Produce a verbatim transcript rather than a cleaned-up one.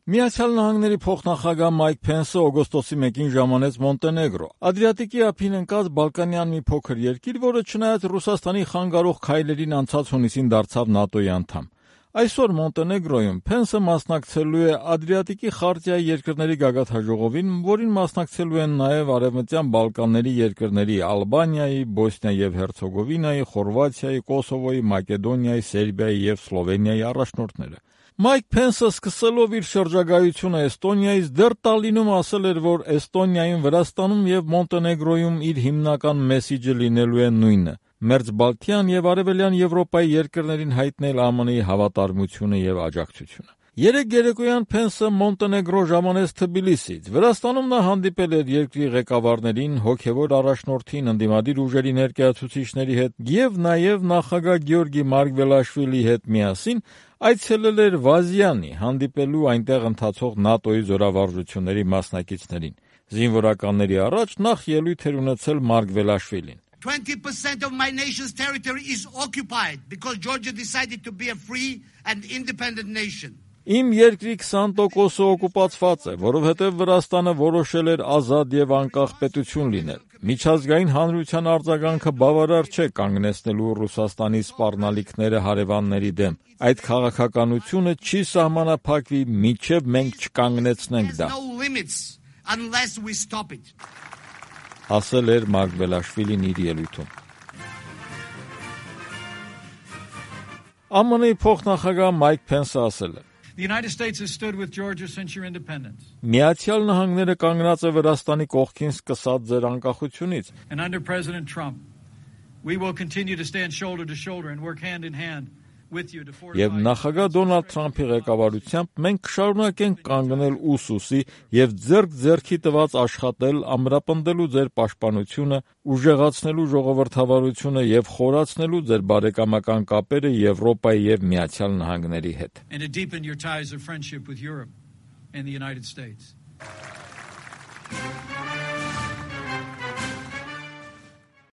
Միացյալ Նահանգների փոխնախագահ Մայք Փենսը օգոստոսի մեկին ժամանեց Մոնտենեգրո, Ադրիատիկի ափին ընկած Բալկանյան մի փոքր երկիր, որը չնայած Ռուսաստանի խանգարող քայլերին անցած հունիսին դարձավ ՆԱՏՕ-ի անդամ։ Այսօր Մոնտենեգրոյում Փենսը մասնակցելու է Ադրիատիկի խարտիայի երկրների գագաթնաժողովին, որին մասնակցելու են նաև Արևմտյան Բալկանների երկրների Ալբանիայի, Բոսնիա եւ Հերցեգովինայի, Խորվաթիայի, Կոսովոյի, Մակեդոնիայի, Սերբիայի եւ Սլովենիայի առաջնորդները։ Մայք Փենսը սկսելով իր շրջագայությունը Էստոնիայից դեռ Տալինում ասել էր, որ Էստոնիայում, Վրաստանում եւ Մոնտենեգրոյում իր հիմնական մեսիջը լինելու է նույնը՝ Մերձբալթյան եւ Արևելյան Եվրոպայի երկրներին հայտնել ԱՄՆ-ի հավատարմությունը եւ աջակցությունը։ Երեկ երեկոյան Փենսը Մոնտենեգրո ժամանեց Թբիլիսից։ Վրաստանում նա հանդիպել էր երկրի ղեկավարներին, հոգևոր առաջնորդին, ընդդիմադիր ուժերի ներկայացուցիչների հետ եւ նաեւ նախագահ Գեորգի Մարգվելաշվիլիի հետ միասին այցելել էր Վազյանի, հանդիպելու այնտեղ ընթացող ՆԱՏՕ-ի զորավարժությունների մասնակիցներին։ Զինվորականների առաջ նախ ելույթ էր ունեցել Մարգվելաշվիլին։ twenty percent of my nation's territory is occupied because Georgia decided to be a free and independent nation. Իմ երկրի քսան տոկոսը օկուպացված է, որովհետև Վրաստանը որոշել էր ազատ եւ անկախ պետություն լինել։ Միջազգային հանրության արձագանքը բավարար չէ կանգնեցնելու Ռուսաստանի սպառնալիքները հարևանների դեմ։ Այդ քաղաքականությունը չի սահմանափակվի, մինչև մենք չկանգնեցնենք դա։ Ասել էր Մարգվելաշվիլին իր ելույթում։ ԱՄՆ-ի փոխնախագահ Մայք Փենսը ասել է. The United States has stood with Georgia since your independence. Միացյալ Նահանգները կանգնած է Վրաստանի կողքին սկսած ձեր անկախությունից։ And under President Trump, we will continue to stand shoulder to shoulder and work hand in hand with you to fortify. Եվ նախագահ Դոնալդ Թրամփի ղեկավարությամբ մենք կշարունակենք կանգնել ուսուսի եւ ձեռք ձեռքի տված աշխատել ամրապնդելու ձեր պաշտպանությունը, ուժեղացնելու ժողովրդավարությունը եւ խորացնելու ձեր բարեկամական կապերը Եվրոպայի եւ Միացյալ Նահանգների հետ։ And to deepen your ties of friendship with Europe and the United States.